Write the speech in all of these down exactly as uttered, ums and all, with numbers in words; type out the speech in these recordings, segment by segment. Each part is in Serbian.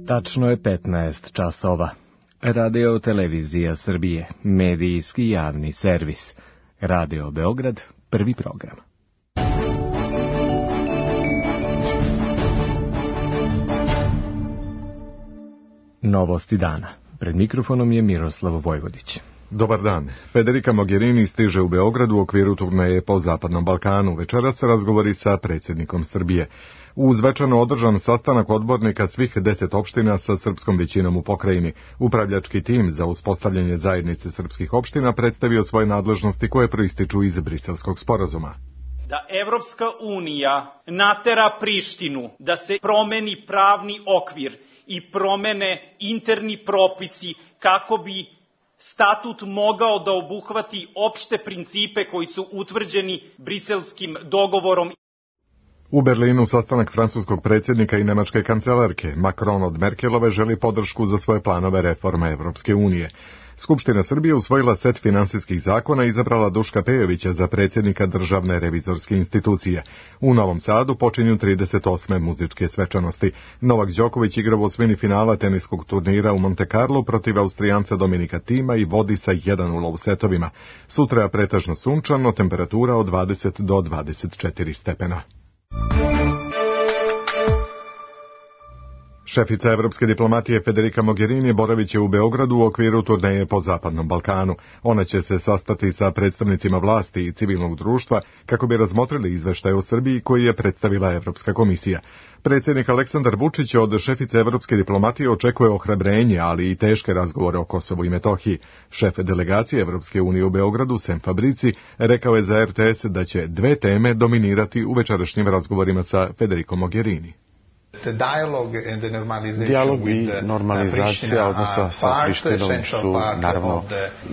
Tačno je petnaest časova. Radio Televizija Srbije, medijski javni servis. Radio Beograd, prvi program. Novosti dana. Pred mikrofonom je Miroslav Vojvodić. Dobar dan. Federica Mogherini stiže u Beograd u okviru turneje po Zapadnom Balkanu. Večeras se razgovori sa predsjednikom Srbije. Uz večerno održan sastanak odbornika svih deset opština sa srpskom većinom u pokrajini. Upravljački tim za uspostavljanje zajednice srpskih opština predstavio svoje nadležnosti koje proističu iz Briselskog sporazuma. Da Evropska unija natera Prištinu da se promeni pravni okvir i promene interni propisi kako bi statut mogao da obuhvati opšte principe koji su utvrđeni Briselskim dogovorom. U Berlinu sastanak francuskog predsjednika i nemačke kancelarke. Macron od Merkelove želi podršku za svoje planove reforme Evropske unije. Skupština Srbije usvojila set finansijskih zakona i izabrala Duška Pejovića za predsjednika Državne revizorske institucije. U Novom Sadu počinju trideset osme muzičke svečanosti. Novak Đoković igra u osmini finala teniskog turnira u Monte Carlo protiv Austrijanca Dominika Tima i vodi sa jedan nula u setovima. Sutra je pretežno sunčano, temperatura od dvadeset do dvadeset četiri stepena. Šefica evropske diplomatije Federica Mogherini boravit će u Beogradu u okviru turneje po Zapadnom Balkanu. Ona će se sastati sa predstavnicima vlasti i civilnog društva kako bi razmotrili izveštaj o Srbiji koji je predstavila Evropska komisija. Predsjednik Aleksandar Vučić od šefice evropske diplomatije očekuje ohrabrenje, ali i teške razgovore o Kosovu i Metohiji. Šef delegacije Evropske unije u Beogradu, Sem Fabrici, rekao je za R T S da će dve teme dominirati u večerašnjim razgovorima sa Federicom Mogherini. Dijalog i normalizacija odnosa sa Prištinom su naravno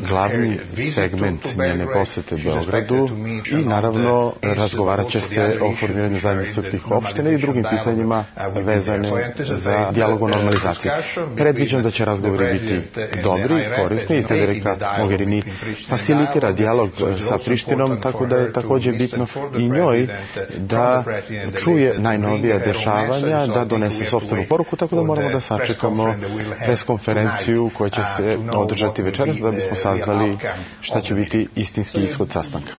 glavni segment njene posete Beogradu i naravno razgovarat će se o formiranju zajednice srpskih opština i drugim pitanjima vezane za dijalog o normalizaciji. Predviđam da će razgovori biti dobri, korisni i Federica Mogherini facilitira dijalog sa Prištinom, tako da je također bitno i njoj da čuje najnovija dešavanja, da donese sopstvenu poruku, tako da moramo da sačekamo preskonferenciju koja će se održati večeras da bismo saznali šta će biti istinski ishod sastanka.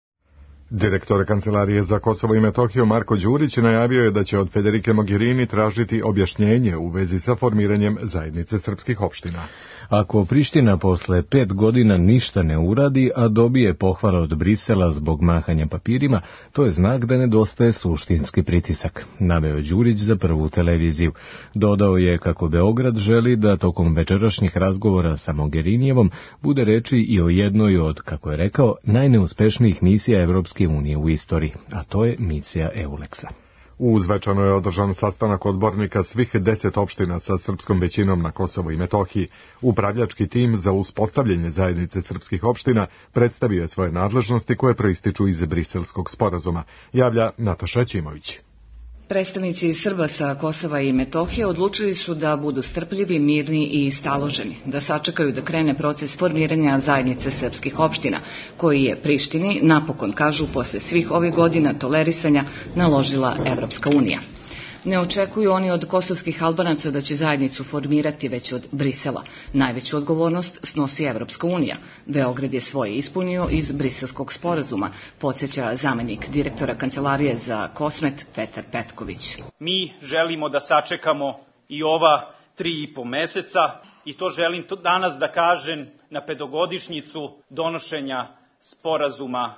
Direktor Kancelarije za Kosovo i Metohiju Marko Đurić najavio je da će od Federike Mogherini tražiti objašnjenje u vezi sa formiranjem zajednice srpskih opština. Ako Priština posle pet godina ništa ne uradi, a dobije pohvale od Brisela zbog mahanja papirima, to je znak da nedostaje suštinski pritisak, naveo Đurić za Prvu televiziju. Dodao je kako Beograd želi da tokom večerašnjih razgovora sa Mogherinijevom bude reči i o jednoj od, kako je rekao, najneuspešnijih misija Evropske unije u istoriji, a to je misija Euleksa. Uz večerno je održan sastanak odbornika svih deset opština sa srpskom većinom na Kosovu i Metohiji. Upravljački tim za uspostavljanje zajednice srpskih opština predstavio je svoje nadležnosti koje proističu iz Briselskog sporazuma, javlja Nataša Ćimović. Predstavnici Srba sa Kosova i Metohije odlučili su da budu strpljivi, mirni i staloženi, da sačekaju da krene proces formiranja zajednice srpskih opština, koji je Prištini, napokon kažu, posle svih ovih godina tolerisanja naložila Evropska unija. Ne očekuju oni od kosovskih Albanaca da će zajednicu formirati već od Brisela. Najveću odgovornost snosi Evropska unija. Beograd je svoje ispunio iz Briselskog sporazuma, podsjeća zamenik direktora Kancelarije za Kosmet Petar Petković. Mi želimo da sačekamo i ova tri i po meseca i to želim to danas da kažem na petogodišnjicu donošenja sporazuma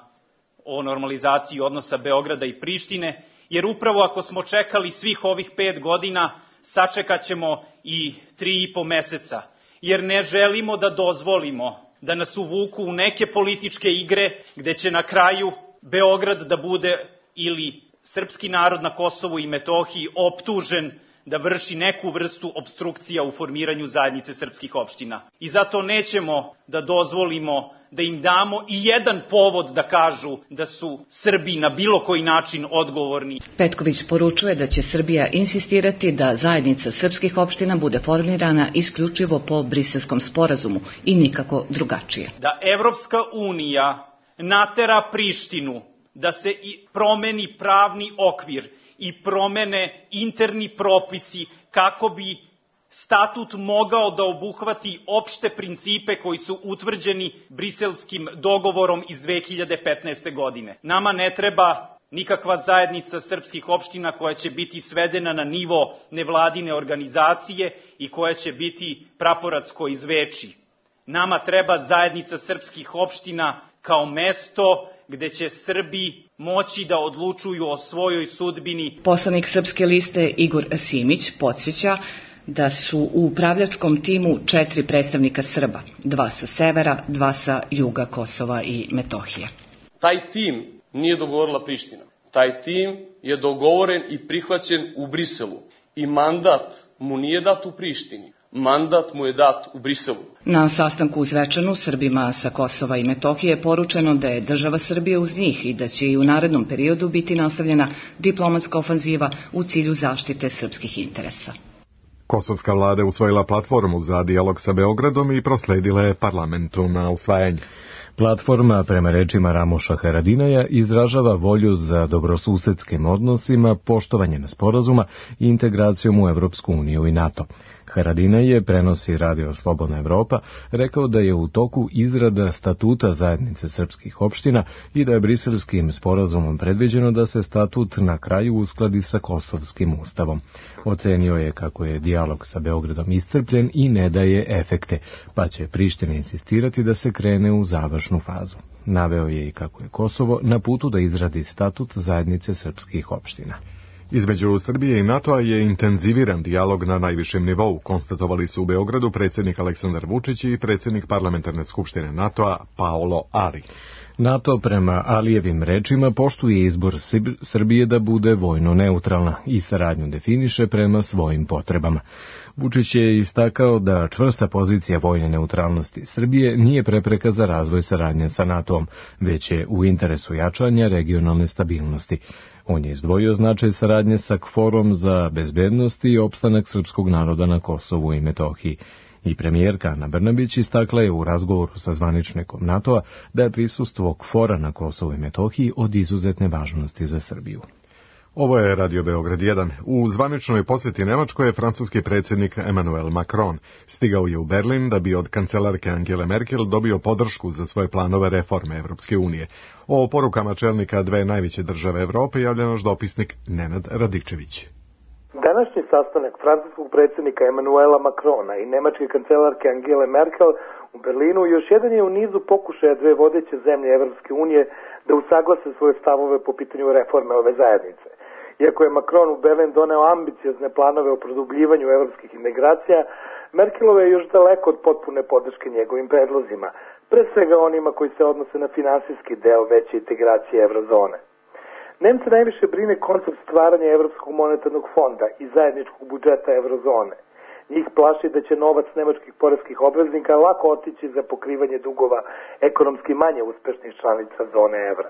o normalizaciji odnosa Beograda i Prištine, jer upravo ako smo čekali svih ovih pet godina, sačekat ćemo i tri i po meseca, jer ne želimo da dozvolimo da nas uvuku u neke političke igre gde će na kraju Beograd da bude ili srpski narod na Kosovu i Metohiji optužen da vrši neku vrstu opstrukcija u formiranju zajednice srpskih opština. I zato nećemo da dozvolimo da im damo i jedan povod da kažu da su Srbi na bilo koji način odgovorni. Petković poručuje da će Srbija insistirati da zajednica srpskih opština bude formirana isključivo po Briselskom sporazumu i nikako drugačije. Da Evropska unija natera Prištinu da se promeni pravni okvir i promene interni propisi kako bi statut mogao da obuhvati opšte principe koji su utvrđeni Briselskim dogovorom iz dve hiljade petnaeste. godine. Nama ne treba nikakva zajednica srpskih opština koja će biti svedena na nivo nevladine organizacije i koja će biti praporacko izveči. Nama treba zajednica srpskih opština kao mesto gde će Srbi moći da odlučuju o svojoj sudbini. Poslanik Srpske liste Igor Simić podsjeća da su u upravljačkom timu četiri predstavnika Srba, dva sa severa, dva sa juga Kosova i Metohije. Taj tim nije dogovorila Priština. Taj tim je dogovoren i prihvaćen u Briselu i mandat mu nije dat u Prištini. Mandat mu je dat u Briselu. Na sastanku u Zvečanu Srbima sa Kosova i Metohije je poručeno da je država Srbije uz njih i da će i u narednom periodu biti nastavljena diplomatska ofanziva u cilju zaštite srpskih interesa. Kosovska vlada je usvojila platformu za dijalog sa Beogradom i prosledila je parlamentu na usvajanje. Platforma, prema rečima Ramoša Haradinaja, izražava volju za dobrosusedskim odnosima, poštovanjem sporazuma i integracijom u Evropsku uniju i NATO. Haradinaj je, prenosi Radio Slobodna Evropa, rekao da je u toku izrada statuta zajednice srpskih opština i da je briselskim sporazumom predviđeno da se statut na kraju uskladi sa kosovskim ustavom. Ocenio je kako je dijalog sa Beogradom iscrpljen i ne daje efekte, pa će Priština insistirati da se krene u završnu fazu. Naveo je i kako je Kosovo na putu da izradi statut zajednice srpskih opština. Između Srbije i NATO-a je intenziviran dijalog na najvišem nivou, konstatovali su u Beogradu predsjednik Aleksandar Vučić i predsjednik Parlamentarne skupštine NATO-a Paolo Ali. NATO, prema Alijevim rečima, poštuje izbor Srbije da bude vojno neutralna i saradnju definiše prema svojim potrebama. Vučić je istakao da čvrsta pozicija vojne neutralnosti Srbije nije prepreka za razvoj saradnje sa NATO-om, već je u interesu jačanja regionalne stabilnosti. On je izdvojio značaj saradnje sa KFOR-om za bezbednost i opstanak srpskog naroda na Kosovu i Metohiji. I premijerka Ana Brnabić istakla je u razgovoru sa zvaničnikom NATO-a da je prisustvo KFOR-a na Kosovu i Metohiji od izuzetne važnosti za Srbiju. Ovo je Radio Beograd jedan. U zvaničnoj posjeti Nemačkoj je francuski predsjednik Emmanuel Macron. Stigao je u Berlin da bi od kancelarke Angele Merkel dobio podršku za svoje planove reforme Evropske unije. O porukama čelnika dve najveće države Evrope javlja naš dopisnik Nenad Radičević. Današnji sastanak francuskog predsjednika Emmanuela Macrona i nemačke kancelarke Angele Merkel u Berlinu još jedan je u nizu pokušaja dve vodeće zemlje Evropske unije da usaglase svoje stavove po pitanju reforme ove zajednice. Iako je Macron u Berlin doneo ambiciozne planove o produbljivanju evropskih integracija, Merkelova je još daleko od potpune podrške njegovim predlozima, pre svega onima koji se odnose na finansijski deo veće integracije eurozone. Nemce najviše brine koncept stvaranja Evropskog monetarnog fonda i zajedničkog budžeta eurozone. Njih plaši da će novac nemačkih poreskih obveznika lako otići za pokrivanje dugova ekonomski manje uspešnih članica zone evra.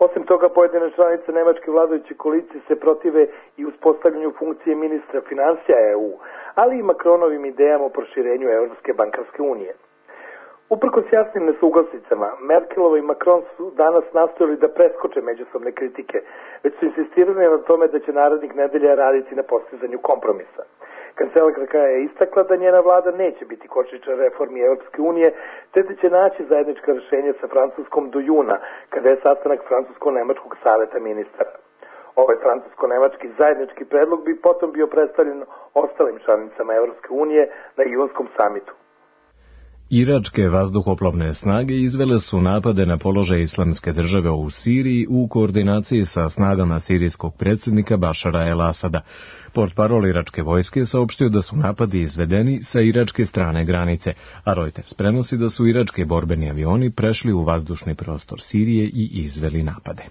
Osim toga, pojedine članice nemačke vladajuće koalicije se protive i uspostavljanju funkcije ministra finansija E U, ali i Macronovim idejama o proširenju Evropske bankarske unije. Uprkos jasnim nesuglasicama, Merkelova i Macron su danas nastojali da preskoče međusobne kritike, već su insistirali na tome da će narednih nedelja raditi na postizanju kompromisa. Kancelarka je istakla da njena vlada neće biti kočničar reformi Evropske unije, te da će naći zajednička rješenja sa Francuskom do juna, kada je sastanak Francusko-Nemačkog saveta ministara. Ovaj francusko-nemački zajednički predlog bi potom bio predstavljen ostalim članicama Evropske unije na junskom samitu. Iračke vazduhoplovne snage izvele su napade na položaj Islamske države u Siriji u koordinaciji sa snagama sirijskog predsjednika Bašara el-Asada. Portparol iračke vojske saopštio da su napadi izvedeni sa iračke strane granice, a Reuters prenosi da su irački borbeni avioni prešli u vazdušni prostor Sirije i izveli napade.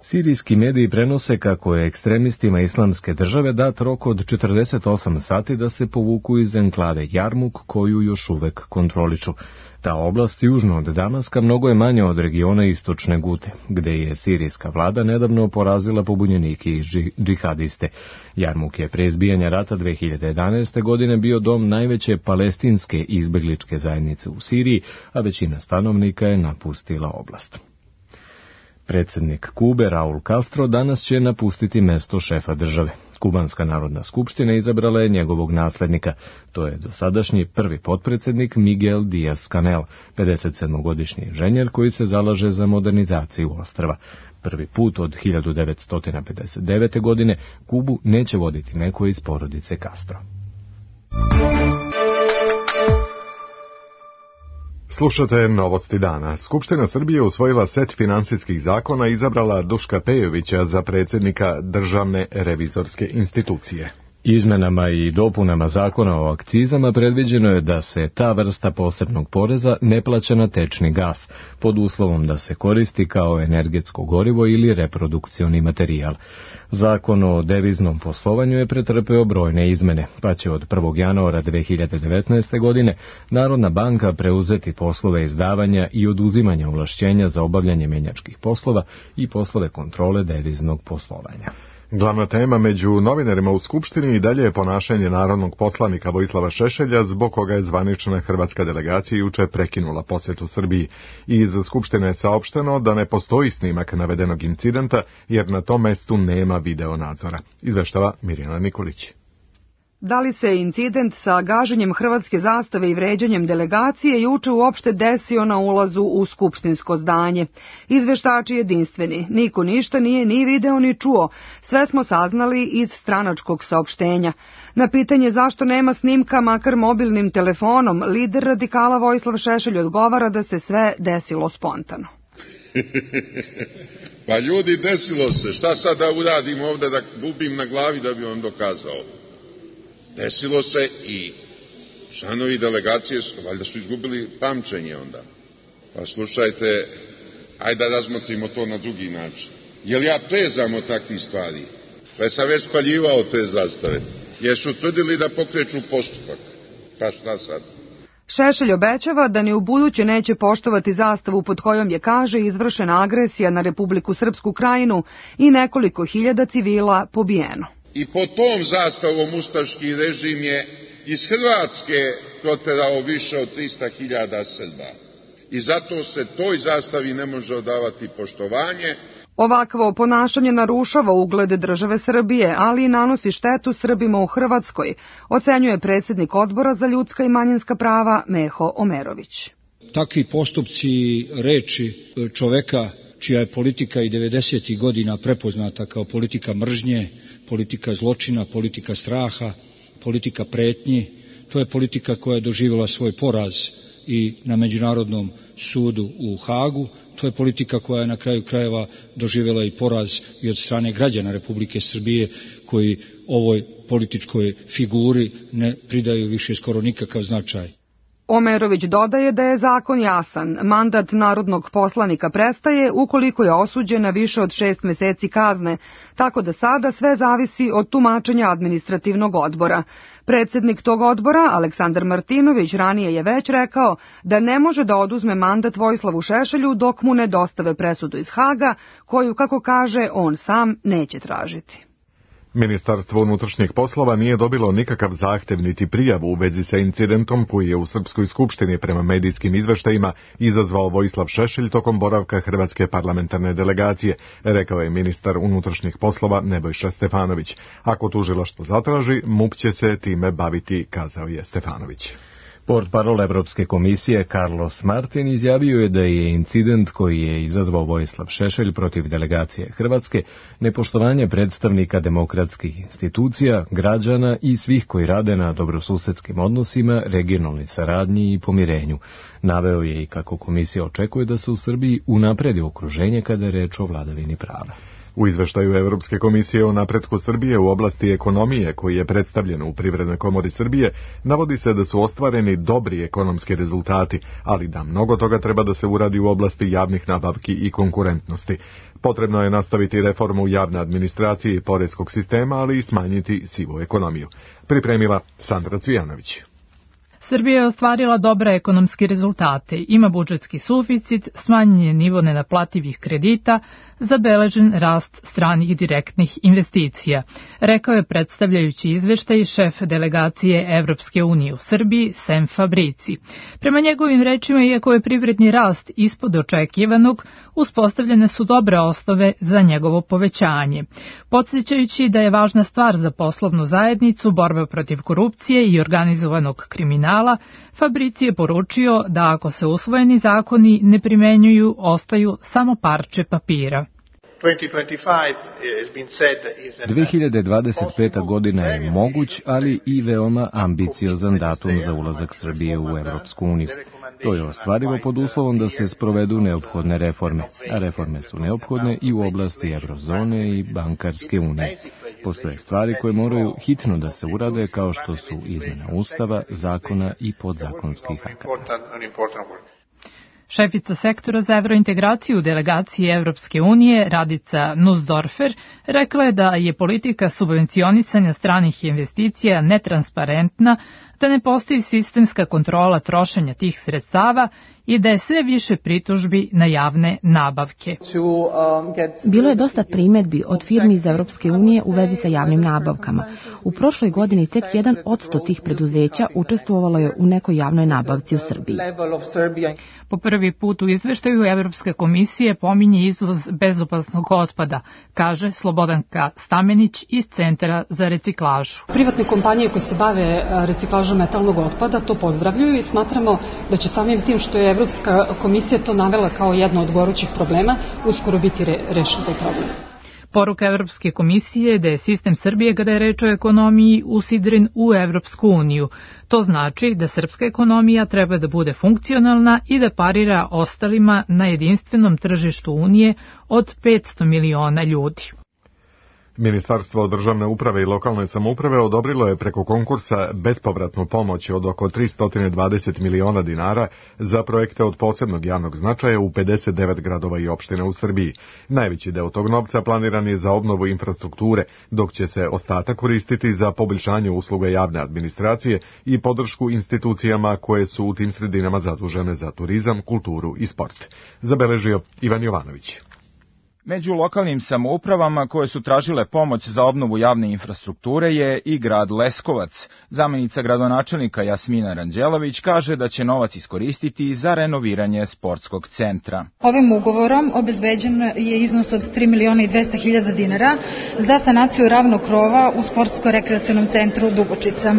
Sirijski mediji prenose kako je ekstremistima Islamske države dat rok od četrdeset osam sati da se povuku iz enklave Jarmuk, koju još uvek kontroliču. Ta oblast južno od Damaska mnogo je manja od regiona istočne Gute, gde je sirijska vlada nedavno porazila pobunjenike i džihadiste. Jarmuk je pre izbijanja rata dve hiljade jedanaeste. godine bio dom najveće palestinske izbegličke zajednice u Siriji, a većina stanovnika je napustila oblast. Predsjednik Kube, Raul Castro, danas će napustiti mesto šefa države. Kubanska narodna skupština izabrala je njegovog naslednika. To je dosadašnji prvi potpredsjednik Miguel Díaz-Canel, pedesetsedmogodišnji inženjer koji se zalaže za modernizaciju ostrva. Prvi put od hiljadu devetsto pedeset devete. godine Kubu neće voditi neko iz porodice Castro. Slušate Novosti dana. Skupština Srbije usvojila set finansijskih zakona i izabrala Duška Pejovića za predsjednika Državne revizorske institucije. Izmenama i dopunama zakona o akcizama predviđeno je da se ta vrsta posebnog poreza ne plaća na tečni gas, pod uslovom da se koristi kao energetsko gorivo ili reprodukcioni materijal. Zakon o deviznom poslovanju je pretrpeo brojne izmene, pa će od prvog januara dve hiljade devetnaeste. godine Narodna banka preuzeti poslove izdavanja i oduzimanja ovlašćenja za obavljanje menjačkih poslova i poslove kontrole deviznog poslovanja. Glavna tema među novinarima u Skupštini i dalje je ponašanje narodnog poslanika Vojislava Šešelja, zbog koga je zvanična hrvatska delegacija juče prekinula posjetu Srbiji. Iz Skupštine je saopšteno da ne postoji snimak navedenog incidenta, jer na tom mestu nema video nadzora. Izveštava Mirjana Nikolić. Da li se incident sa gaženjem hrvatske zastave i vređanjem delegacije juče uopšte desio na ulazu u skupštinsko zdanje? Izveštači jedinstveni. Niko ništa nije ni video ni čuo. Sve smo saznali iz stranačkog saopštenja. Na pitanje zašto nema snimka makar mobilnim telefonom, lider radikala Vojislav Šešelj odgovara da se sve desilo spontano. Pa ljudi, desilo se. Šta sad da uradim ovde, da bubim na glavi da bi vam dokazao? Desilo se i članovi delegacije, valjda su izgubili pamćenje onda. Pa slušajte, ajde da razmotrimo to na drugi način. Jel ja prezam od takvih stvari? Pa sam već spaljivao te zastave. Jesu tvrdili da pokreću postupak. Pa šta sad? Šešelj obećava da ni u buduće neće poštovati zastavu pod kojom je, kaže, izvršena agresija na Republiku Srpsku Krajinu i nekoliko hiljada civila pobijeno. I pod tom zastavom ustaški režim je iz Hrvatske proterao više od trista hiljada Srba. I zato se toj zastavi ne može odavati poštovanje. Ovakvo ponašanje narušava ugled države Srbije, ali i nanosi štetu Srbima u Hrvatskoj, ocenjuje predsjednik Odbora za ljudska i manjinska prava Meho Omerović. Takvi postupci, reči čoveka čija je politika i devedesetih godina prepoznata kao politika mržnje, politika zločina, politika straha, politika pretnji, to je politika koja je doživjela svoj poraz i na Međunarodnom sudu u Hagu, to je politika koja je na kraju krajeva doživjela i poraz i od strane građana Republike Srbije, koji ovoj političkoj figuri ne pridaju više skoro nikakav značaj. Omerović dodaje da je zakon jasan. Mandat narodnog poslanika prestaje ukoliko je osuđen na više od šest meseci kazne, tako da sada sve zavisi od tumačenja administrativnog odbora. Predsjednik tog odbora, Aleksandar Martinović, ranije je već rekao da ne može da oduzme mandat Vojislavu Šešelju dok mu ne dostave presudu iz Haga, koju, kako kaže, on sam neće tražiti. Ministarstvo unutrašnjih poslova nije dobilo nikakav zahtev niti prijavu u vezi sa incidentom koji je u Srpskoj skupštini prema medijskim izveštajima izazvao Vojislav Šešelj tokom boravka Hrvatske parlamentarne delegacije, rekao je ministar unutrašnjih poslova Nebojša Stefanović. Ako tužilaštvo zatraži, MUP će se time baviti, kazao je Stefanović. Portparol Evropske komisije Carlos Martin izjavio je da je incident koji je izazvao Vojislav Šešelj protiv delegacije Hrvatske nepoštovanje predstavnika demokratskih institucija, građana i svih koji rade na dobrosusedskim odnosima, regionalnoj saradnji i pomirenju. Naveo je i kako komisija očekuje da se u Srbiji unapredi okruženje kada je reč o vladavini prava. U izveštaju Evropske komisije o napretku Srbije u oblasti ekonomije, koji je predstavljen u Privrednoj komori Srbije, navodi se da su ostvareni dobri ekonomski rezultati, ali da mnogo toga treba da se uradi u oblasti javnih nabavki i konkurentnosti. Potrebno je nastaviti reformu javne administracije i poreskog sistema, ali i smanjiti sivu ekonomiju. Pripremila Sandra Cvijanović. Srbija je ostvarila dobre ekonomske rezultate, ima budžetski suficit, smanjen je nivo nenaplativih kredita, zabeležen rast stranih direktnih investicija, rekao je predstavljajući izveštaj šef delegacije Evropske unije u Srbiji, Sem Fabrici. Prema njegovim rečima, iako je privredni rast ispod očekivanog, uspostavljene su dobre osnove za njegovo povećanje. Podsjećajući da je važna stvar za poslovnu zajednicu borba protiv korupcije i organizovanog kriminala, Fabrici je poručio da ako se usvojeni zakoni ne primenjuju, ostaju samo parče papira. dve hiljade dvadeset peta. godina je moguć, ali i veoma ambiciozan datum za ulazak Srbije u Evropsku uniju. To je ostvarivo pod uslovom da se sprovedu neophodne reforme, a reforme su neophodne i u oblasti eurozone i bankarske unije. Postoje stvari koje moraju hitno da se urade, kao što su izmjena ustava, zakona i podzakonskih akata. Šefica sektora za evrointegraciju u delegaciji Evropske unije, Radica Nussdorfer, rekla je da je politika subvencionisanja stranih investicija netransparentna, da ne postoji sistemska kontrola trošenja tih sredstava i da je sve više pritužbi na javne nabavke. Bilo je dosta primedbi od firmi iz Evropske unije u vezi sa javnim nabavkama. U prošloj godini tek jedan odsto tih preduzeća učestvovalo je u nekoj javnoj nabavci u Srbiji. Po prvi put u izveštaju Evropske komisije pominje izvoz bezopasnog otpada, kaže Slobodanka Stamenić iz Centra za reciklažu. Privatne kompanije koje se bave reciklažom metalnog otpada to pozdravljaju i smatramo da će samim tim što je Evropska komisija to navela kao jedno od gorućih problema, uskoro biti re, rešen taj problem. Poruka Evropske komisije je da je sistem Srbije, kada je reč o ekonomiji, usidren u Evropsku uniju. To znači da srpska ekonomija treba da bude funkcionalna i da parira ostalima na jedinstvenom tržištu Unije od petsto miliona ljudi. Ministarstvo državne uprave i lokalne samouprave odobrilo je preko konkursa bespovratnu pomoć od oko tristo dvadeset miliona dinara za projekte od posebnog javnog značaja u pedeset devet gradova i opština u Srbiji. Najveći deo tog novca planiran je za obnovu infrastrukture, dok će se ostatak koristiti za poboljšanje usluga javne administracije i podršku institucijama koje su u tim sredinama zadužene za turizam, kulturu i sport. Zabeležio Ivan Jovanović. Među lokalnim samoupravama koje su tražile pomoć za obnovu javne infrastrukture je i grad Leskovac. Zamenica gradonačelnika Jasmina Ranđelović kaže da će novac iskoristiti za renoviranje sportskog centra. Ovim ugovorom obezbeđen je iznos od tri miliona i dvesta hiljada dinara za sanaciju ravnog krova u sportsko-rekreacionom centru Dubočica.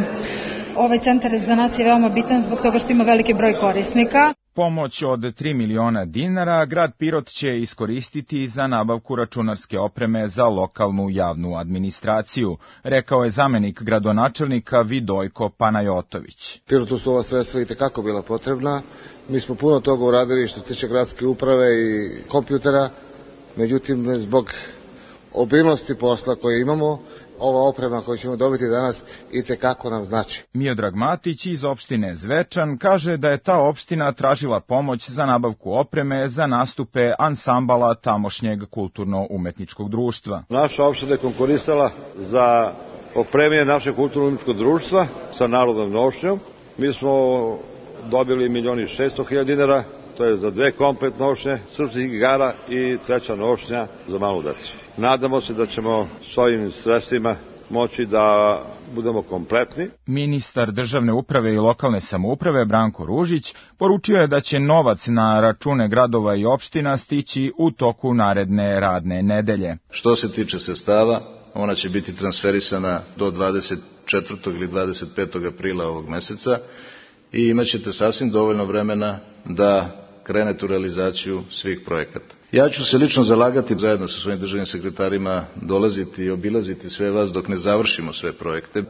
Ovaj centar za nas je veoma bitan zbog toga što ima veliki broj korisnika. Pomoć od tri miliona dinara grad Pirot će iskoristiti za nabavku računarske opreme za lokalnu javnu administraciju, rekao je zamenik gradonačelnika Vidojko Panajotović. Pirotu su ova sredstva i tekako bila potrebna. Mi smo puno toga uradili što se tiče gradske uprave i kompjutera, međutim zbog obilnosti posla koje imamo, ova oprema koju ćemo dobiti danas i tekako nam znači. Miodrag Matić iz opštine Zvečan kaže da je ta opština tražila pomoć za nabavku opreme za nastupe ansambala tamošnjeg kulturno-umetničkog društva. Naša opština je konkurisala za opremanje našeg kulturno-umetničkog društva sa narodnom nošnjom. Mi smo dobili milion i šesto hiljada dinara, to je za dve komplet nošnje, srpskih igara i treća nošnja za malu decu. Nadamo se da ćemo s ovim sredstvima moći da budemo kompletni. Ministar državne uprave i lokalne samouprave Branko Ružić poručio je da će novac na račune gradova i opština stići u toku naredne radne nedelje. Što se tiče sredstava, ona će biti transferisana do dvadeset četvrtog ili dvadeset petog aprila ovog meseca i imat ćete sasvim dovoljno vremena da krenete u realizaciju svih projekata. Ja ću se lično zalagati zajedno sa svojim državnim sekretarima dolaziti i obilaziti sve vas dok ne završimo sve projekte.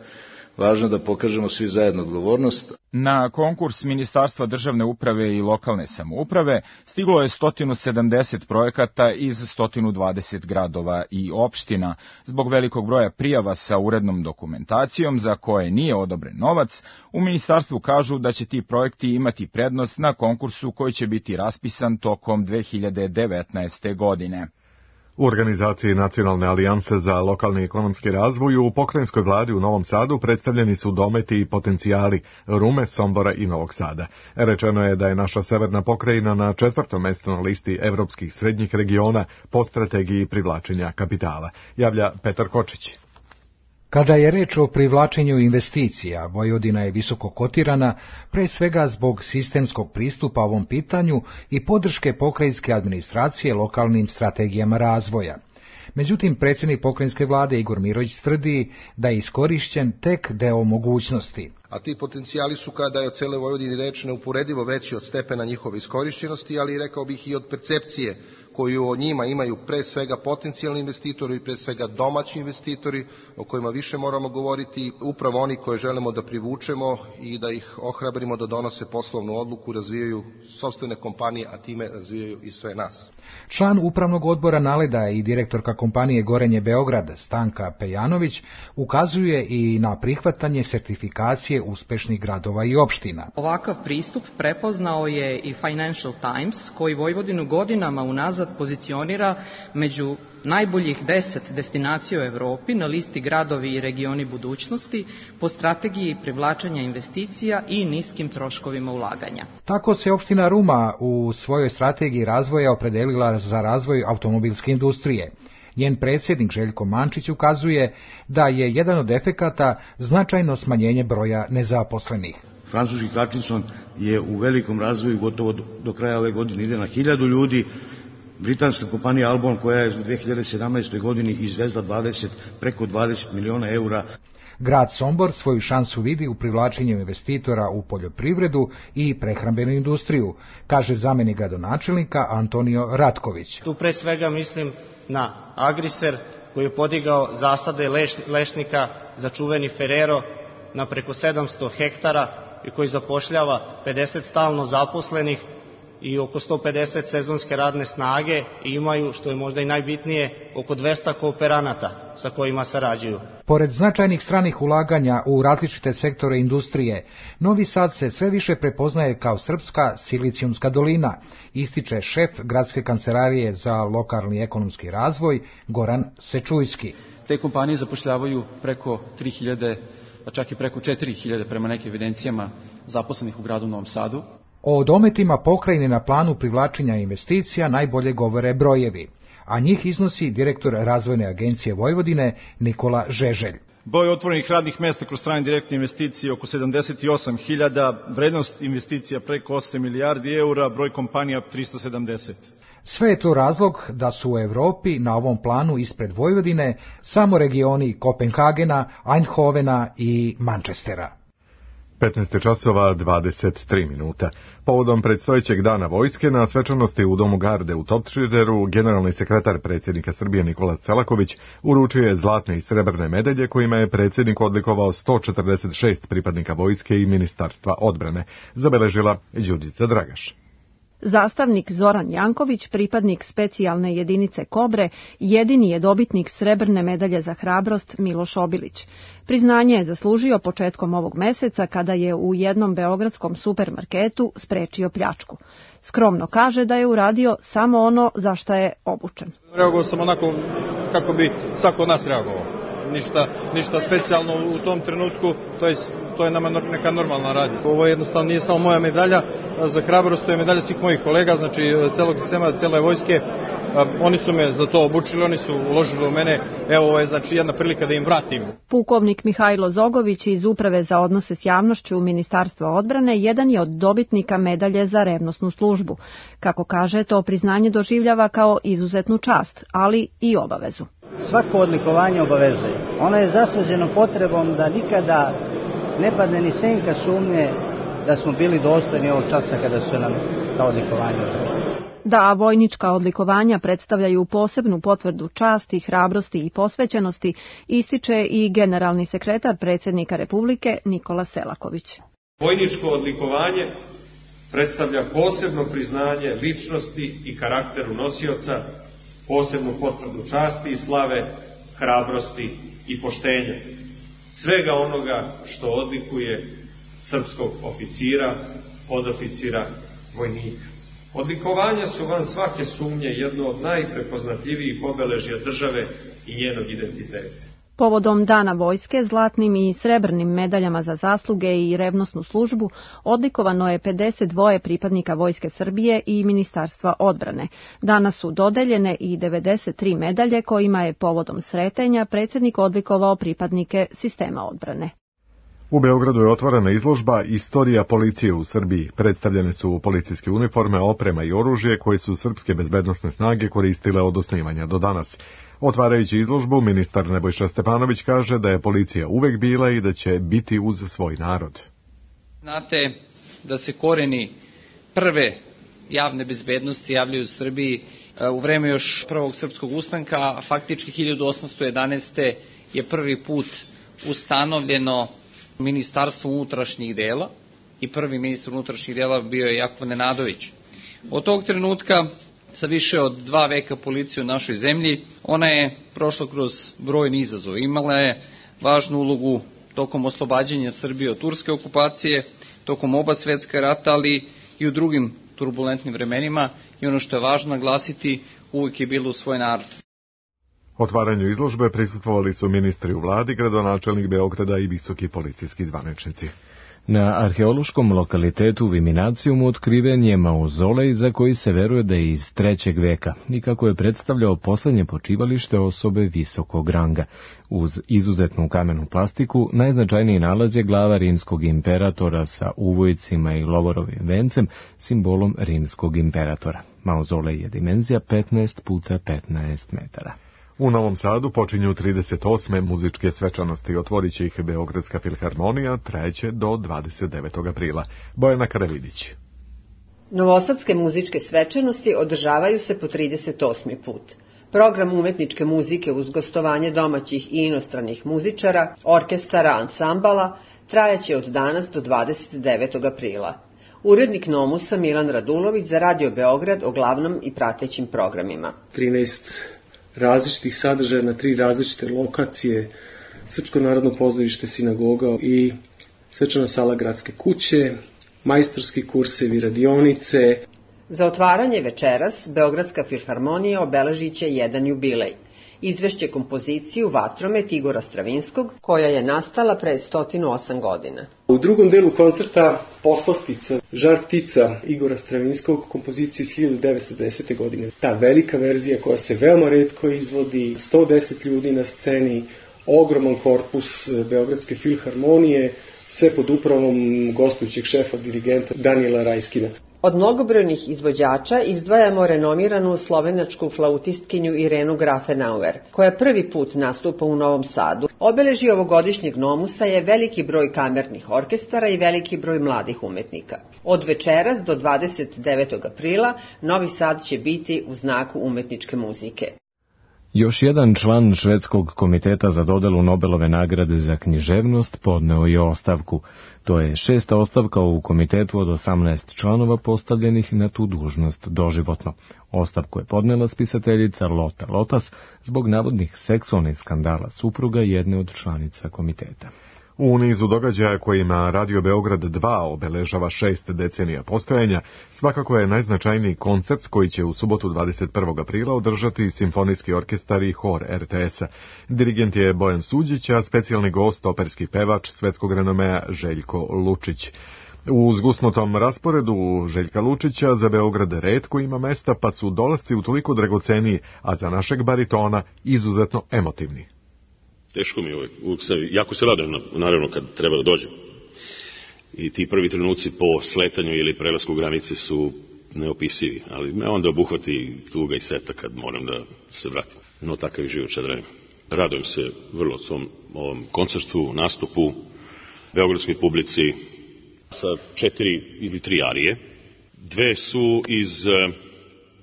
Važno je da pokažemo svi zajedno odgovornost. Na konkurs Ministarstva državne uprave i lokalne samouprave stiglo je sto sedamdeset projekata iz sto dvadeset gradova i opština. Zbog velikog broja prijava sa urednom dokumentacijom za koje nije odobren novac, u ministarstvu kažu da će ti projekti imati prednost na konkursu koji će biti raspisan tokom dve hiljade devetnaeste. godine. U organizaciji Nacionalne alijanse za lokalni ekonomski razvoj u pokrajinskoj vladi u Novom Sadu predstavljeni su dometi i potencijali Rume, Sombora i Novog Sada. Rečeno je da je naša severna pokrajina na četvrtom mestu na listi evropskih srednjih regiona po strategiji privlačenja kapitala, javlja Petar Kočić. Kada je reč o privlačenju investicija, Vojvodina je visoko kotirana, pre svega zbog sistemskog pristupa ovom pitanju i podrške pokrajinske administracije lokalnim strategijama razvoja. Međutim, predsjednik pokrajinske vlade Igor Mirović tvrdi da je iskorišćen tek deo mogućnosti. A ti potencijali su, kada je o cele Vojvodini reč, neuporedivo veći od stepena njihove iskorišćenosti, ali rekao bih i od percepcije koju o njima imaju pre svega potencijalni investitori i pre svega domaći investitori, o kojima više moramo govoriti, upravo oni koje želimo da privučemo i da ih ohrabrimo da donose poslovnu odluku, razvijaju sopstvene kompanije, a time razvijaju i sve nas. Član upravnog odbora Naleda i direktorka kompanije Gorenje Beograd, Stanka Pejanović, ukazuje i na prihvatanje sertifikacije uspešnih gradova i opština. Ovakav pristup prepoznao je i Financial Times, koji Vojvodinu godinama unazad pozicionira među najboljih deset destinacija u Evropi na listi gradovi i regioni budućnosti po strategiji privlačenja investicija i niskim troškovima ulaganja. Tako se opština Ruma u svojoj strategiji razvoja opredelila za razvoj automobilske industrije. Njen predsjednik Željko Mančić ukazuje da je jedan od efekata značajno smanjenje broja nezaposlenih. Francuski Hutchinson je u velikom razvoju, gotovo do kraja ove godine ide na hiljadu ljudi. Britanska kompanija Albon, koja je u dve hiljade sedamnaestoj godini izvezla dvadeset, preko dvadeset miliona eura. Grad Sombor svoju šansu vidi u privlačenju investitora u poljoprivredu i prehrambenu industriju, kaže zamjenik gradonačelnika Antonio Ratković. Tu pre svega mislim na Agriser, koji je podigao zasade leš, lešnika za čuveni Ferrero na preko sedamsto hektara i koji zapošljava pedeset stalno zaposlenih i oko sto pedeset sezonske radne snage i imaju, što je možda i najbitnije, oko dvesta kooperanata sa kojima sarađuju. Pored značajnih stranih ulaganja u različite sektore industrije, Novi Sad se sve više prepoznaje kao srpska silicijumska dolina, ističe šef gradske kancelarije za lokalni ekonomski razvoj Goran Sečujski. Te kompanije zapošljavaju preko tri hiljade, a čak i preko četiri hiljade prema nekim evidencijama zaposlenih u gradu Novom Sadu. O dometima pokrajine na planu privlačenja investicija najbolje govore brojevi, a njih iznosi direktor Razvojne agencije Vojvodine Nikola Žeželj. Broj otvorenih radnih mesta kroz strane direktne investicije oko sedamdeset osam hiljada, vrednost investicija preko osam milijardi eura, broj kompanija tristo sedamdeset. Sve je to razlog da su u Evropi na ovom planu ispred Vojvodine samo regioni Kopenhagena, Eindhovena i Manchestera. petnaest časova dvadeset tri minuta. Povodom predstojećeg dana vojske na svečanosti u Domu garde u Topčideru generalni sekretar predsjednika Srbije Nikola Selaković uručio je zlatne i srebrne medalje kojima je predsjednik odlikovao sto četrdeset šest pripadnika vojske i Ministarstva odbrane, zabeležila Đurđica Dragaš. Zastavnik Zoran Janković, pripadnik specijalne jedinice Kobre, jedini je dobitnik srebrne medalje za hrabrost Miloš Obilić. Priznanje je zaslužio početkom ovog meseca kada je u jednom beogradskom supermarketu sprečio pljačku. Skromno kaže da je uradio samo ono za šta je obučen. Reagovao sam onako kako bi svako od nas reagovao. Ništa, ništa specijalno u tom trenutku, to je, to je nama neka normalna radnja. Ovo jednostavno nije samo moja medalja za hrabrost, to je medalja svih mojih kolega, znači celog sistema, cele vojske. Oni su me za to obučili, oni su uložili u mene, evo ovo je znači jedna prilika da im vratim. Pukovnik Mihajlo Zogović iz Uprave za odnose s javnošću Ministarstva odbrane jedan je od dobitnika medalje za revnosnu službu. Kako kaže, to priznanje doživljava kao izuzetnu čast, ali i obavezu. Svako odlikovanje obavezuje. Ono je zasluženo potrebom da nikada ne padne ni senka sumnje da smo bili dostojni ovog časa kada su nam ta odlikovanja određena. Da vojnička odlikovanja predstavljaju posebnu potvrdu časti, hrabrosti i posvećenosti, ističe i generalni sekretar predsjednika Republike Nikola Selaković. Vojničko odlikovanje predstavlja posebno priznanje ličnosti i karakteru nosioca, posebnu potvrdu časti i slave, hrabrosti i poštenja. Svega onoga što odlikuje srpskog oficira, podoficira, vojnika. Odlikovanja su van svake sumnje jedno od najprepoznatljivijih obeležja države i njenog identiteta. Povodom Dana vojske, zlatnim i srebrnim medaljama za zasluge i revnosnu službu odlikovano je pedeset dva pripadnika Vojske Srbije i Ministarstva odbrane. Danas su dodeljene i devedeset tri medalje kojima je povodom sretenja predsjednik odlikovao pripadnike sistema odbrane. U Beogradu je otvorena izložba Istorija policije u Srbiji. Predstavljene su policijske uniforme, oprema i oružje koje su srpske bezbednosne snage koristile od osnivanja do danas. Otvarajući izložbu, ministar Nebojša Stefanović kaže da je policija uvek bila i da će biti uz svoj narod. Znate da se koreni prve javne bezbednosti javljaju u Srbiji u vreme još prvog srpskog ustanka, a faktički hiljadu osamsto jedanaeste. je prvi put ustanovljeno Ministarstvo unutrašnjih dela i prvi ministar unutrašnjih dela bio je Jakov Nenadović. Od tog trenutka, sa više od dva veka policije u našoj zemlji, ona je prošla kroz brojne izazove. Imala je važnu ulogu tokom oslobađanja Srbije od turske okupacije, tokom oba svetska rata, ali i u drugim turbulentnim vremenima, i ono što je važno naglasiti, uvijek je bilo u svoj narod. Otvaranju izložbe prisustvovali su ministri u vladi, gradonačelnik Beograda i visoki policijski zvaničnici. Na arheološkom lokalitetu Viminacijumu otkriven je mauzolej za koji se veruje da je iz trećeg veka i kako je predstavljao poslednje počivalište osobe visokog ranga. Uz izuzetnu kamenu plastiku, najznačajniji nalaz je glava rimskog imperatora sa uvojcima i lovorovim vencem, simbolom rimskog imperatora. Mauzolej je dimenzija petnaest puta petnaest metara. U Novom Sadu počinju trideset osme muzičke svečanosti. Otvorit će ih Beogradska filharmonija, trajeće do dvadeset devetog aprila. Bojana Karavidić. Novosadske muzičke svečanosti održavaju se po trideset osmi put. Program umetničke muzike uz gostovanje domaćih i inostranih muzičara, orkestara, ansambala trajeće od danas do dvadeset devetog aprila. Urednik Nomusa Milan Radulović za Radio Beograd o glavnom i pratećim programima. trinaest različitih sadržaja na tri različite lokacije, Srpsko narodno pozorište, sinagoga i svečana sala gradske kuće, majstorski kursevi, radionice. Za otvaranje večeras Beogradska filharmonija obeležit će jedan jubilej. Izvešće kompoziciju Vatromet Igora Stravinskog, koja je nastala pre sto osam godina. U drugom delu koncerta Poslastica, Žar ptica Igora Stravinskog, kompozicija iz hiljadu devetsto desete. godine. Ta velika verzija koja se veoma retko izvodi, sto deset ljudi na sceni, ogroman korpus Beogradske filharmonije, sve pod upravom gostujućeg šefa dirigenta Danijela Rajskina. Od mnogobrojnih izvođača izdvajamo renomiranu slovenačku flautistkinju Irenu Grafenauer, koja prvi put nastupa u Novom Sadu. Obeležje ovogodišnjeg Nomusa je veliki broj kamernih orkestara i veliki broj mladih umetnika. Od večeras do dvadeset devetog aprila Novi Sad će biti u znaku umetničke muzike. Još jedan član švedskog komiteta za dodelu Nobelove nagrade za književnost podneo je ostavku. To je šesta ostavka u komitetu od osamnaest članova postavljenih na tu dužnost doživotno. Ostavku je podnela spisateljica Lota Lotas zbog navodnih seksualnih skandala supruga jedne od članica komiteta. U nizu događaja kojima Radio Beograd dva obeležava šest decenija postojanja, svakako je najznačajniji koncert koji će u subotu dvadeset prvog aprila održati Simfonijski orkestar i hor er te esa. Dirigent je Bojan Suđić, a specijalni gost operski pevač svetskog renomea Željko Lučić. U zgusnutom rasporedu Željka Lučića za Beograd retko ima mesta, pa su dolasci utoliko dragoceniji, a za našeg baritona izuzetno emotivni. Teško mi je uvijek, uvijek se, jako se radujem, naravno, kad treba da dođem. I ti prvi trenuci po sletanju ili prelasku granice su neopisivi, ali me onda obuhvati tuga i seta kad moram da se vratim. No, takav je život šadrenim. Radujem se vrlo svom ovom koncertu, nastupu, beogradskoj publici sa četiri ili tri arije. Dve su iz eh,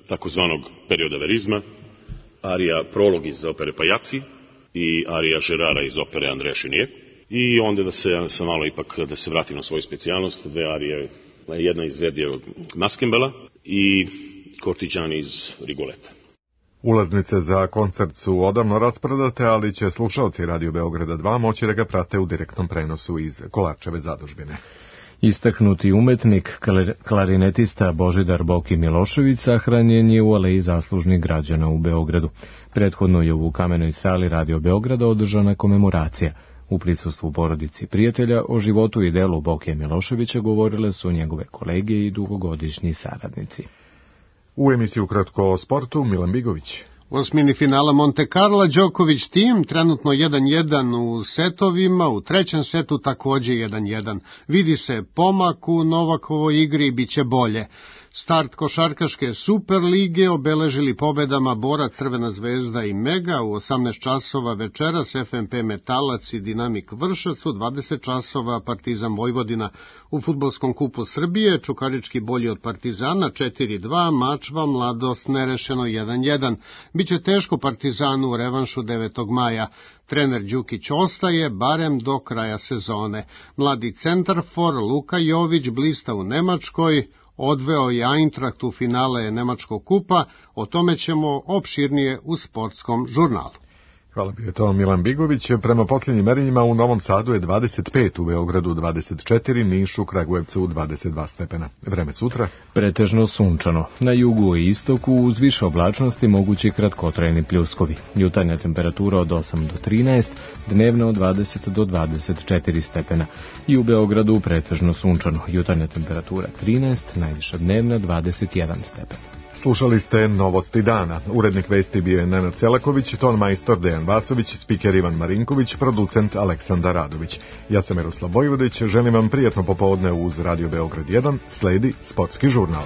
takozvanog perioda verizma, arija prolog iz opere Pajaci i arija Žerara iz opere Andreja Šenije. I onda da se sam malo ipak da se vratim na svoju specijalnost, dve arije, jedna iz Verdijevog Maskembela i Kortiđani iz Rigoleta. Ulaznice za koncert su odavno rasprodate, ali će slušalci Radio Beograda dva moći da ga prate u direktnom prenosu iz Kolarčeve zadužbine. Istaknuti umetnik, klarinetista Božidar Boki Milošević sahranjen je u Aleji zaslužnih građana u Beogradu. Prethodno je u Kamenoj sali Radio Beograda održana komemoracija. U prisustvu porodici prijatelja o životu i delu Bokija Miloševića govorile su njegove kolege i dugogodišnji saradnici. U emisiju Kratko o sportu Milan Bigović. U osmini finala Monte Carlo Đoković tim trenutno jedan jedan u setovima, u trećem setu takođe jedan jedan. Vidi se pomak u Novakovoj igri i bit će bolje. Start košarkaške Superlige obeležili pobedama Bora, Crvena zvezda i Mega u osamnaest časova večeras F M P Metalac i Dinamik Vršac, u dvadeset časova Partizan Vojvodina. U fudbalskom kupu Srbije Čukarički bolji od Partizana četiri dva, Mačva Mladost nerešeno jedan jedan. Biće teško Partizanu u revanšu devetog maja. Trener Đukić ostaje barem do kraja sezone. Mladi centarfor Luka Jović blista u Nemačkoj, odveo je Eintracht u finale Nemačkog kupa, o tome ćemo opširnije u sportskom žurnalu. Hvala bi je to Milan Bigović. Prema posljednjim merenjima u Novom Sadu je dvadeset pet, u Beogradu dvadeset četiri, Nišu, Kragujevcu dvadeset dva stepena. Vreme sutra? Pretežno sunčano. Na jugu i istoku uz više oblačnosti mogući kratkotrajni pljuskovi. Jutarnja temperatura od osam do trinaest, dnevna od dvadeset do dvadeset četiri stepena. I u Beogradu pretežno sunčano. Jutarnja temperatura trinaest, najviša dnevna dvadeset jedan stepen. Slušali ste Novosti dana. Urednik vesti bio je Nenad Selaković, ton majstor Dejan Vasović, spiker Ivan Marinković, producent Aleksandar Radović. Ja sam Miroslav Vojvodić, želim vam prijatno popodne uz Radio Beograd jedan, sledi sportski žurnal.